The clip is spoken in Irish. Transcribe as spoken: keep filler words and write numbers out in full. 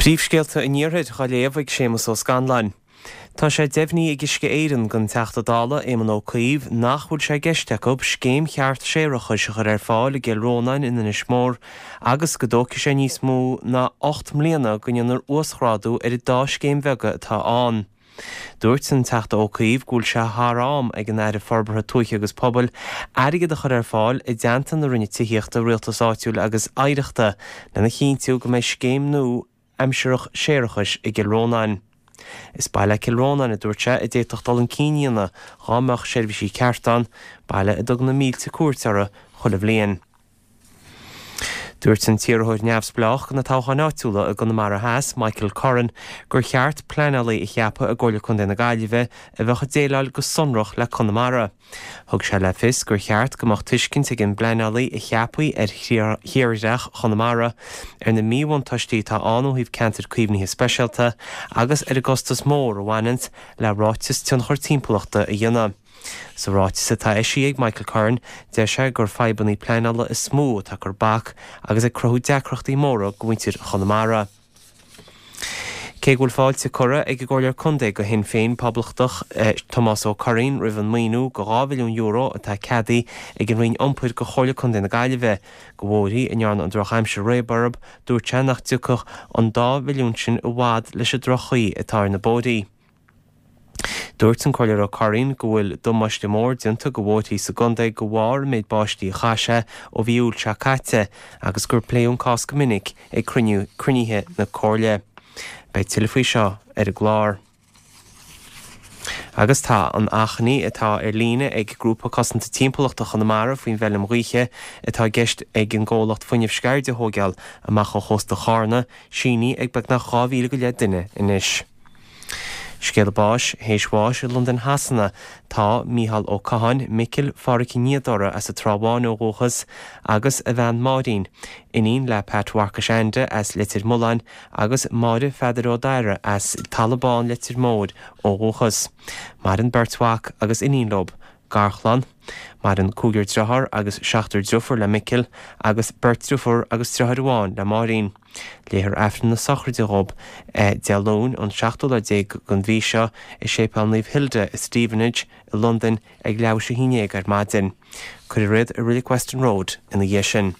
Príomhscéalta an Iarthair á léamh ag Séamus Ó Scanláin. Tá sé deimhnithe ag Uisce Éireann don Teachta Dála Éamon Ó Cuív nach bhfuil sé i gceist acu scéim cheart séarachais a chur ar fáil i gCill Rónáin in Inis Mór agus go dtógfaidh sé níos mó ná ocht mbliana go ndéanfar uasghrádú ar an dá scéim bheaga atá ann. Dúirt an Teachta Ó Cuív go bhfuil sé thar am ag an Aire Forbartha Tuaithe agus Pobail airgead a chur ar fáil i dteannta na Roinne Tithíochta, Rialtais Áitiúil agus Oidhreachta lena chinntiú go mbeidh scéim nua aimsireach séarachais i gCill Rónáin. Is baile Cill Rónáin a dúirt sé a d'fhéadfadh dul chun cinn a dhéanamh dá mbeadh seirbhísí ceart ann, baile a dtugann na mílte cuairt orthu chuile bhliain. Dúirt an t-iarrthóir neamhspleách do na toghcháin áitiúla i gConamara Theas, Michael Curran, gur cheart pleanálaí a cheapadh i gComhairle Contae na Gaillimhe a bheadh ag déileáil go sonrach le Conamara. Thug sé le fios gur cheart go mbeadh tuiscint ag an bpleanálaí a cheapfaí ar thírdhreach Chonamara, ar na míbhuntáistí atá ann ó thaobh ceantair caomhnaithe speisialta agus ar an gcostas mór a bhaineanns le ráiteas tionchar timpeallachta a dhéanamh. Sa ráiteas atá eisithe ag Michael Curran, deir sé gur fadhbanna pleanála is mó atá ag cur bac agus ag cruthú deacrachtaí móra do mhuintir Chonamara. Cé go bhfuil fáilte curtha ag an gComhairleoir Contae do Shinn Féin Poblachtach Tomás Ó Curraoin roimh an maoiniú de dhá mhilliún euro atá ceadaithe ag an Roinn Iompair do Chomhairle Contae na Gaillimhe do bhóithrí a ndearna an drochaimsir réabadh orthu, dúirt sé nach dtiocfadh an dá mhilliún sin i bhfad leis an droch-chaoi atá ar na bóithrí. Dúirt an Comhairleoir Ó Curraoin go bhfuil damáiste mór déanta do bhóithrí sa gcontae de bharr an méid báistí a chaith sé ó mhí Iúil seo caite agus gur pléadh an cás go minic ag cruinnithe na Comhairle. Beidh tuilleadh faoi seo ar an gclár. Agus tá an achainí atá ar líne ag Grúpa Cosanta Timpeallachta Chonamara faoin bhfeilm ghaoithe atá i gceist ag an gcomhlacht Fuinneamh Sceirde a thógáil amach ó chósta Chárna sínithe ag beagnach dhá mhíle go leith duine anois. Scéala báis, théis bháis i Londain Shasana tá Mícheál Ó Catháin, Micil Phádhraic Uí Niadóra as an Trá Bháin ó dhúchas agus a bhean Máirín, iníon le Pat Mharcais Ainde as Leitir Mealláin agus Máire Pheadair Ó Dara as Talamh Bán Leitir Móir ó dhúchas. Maireann beirt mhac agus iníon leo. Garchlann. Maireann cúigear dearthár agus seachtar deirfiúr le Micil agus beirt deirfiúr agus deartháir amháin le Máirín. Léifear Aifreann na sochraide dhób Dé Luain an seachtú lá déag den mhí seo i Séipéal Naomh Hilda i Stevenage i Londain ag leathuair théis a haon déag ar maidin. Cuirfear iad i Reilig Weston Road ina dhiaidh sin.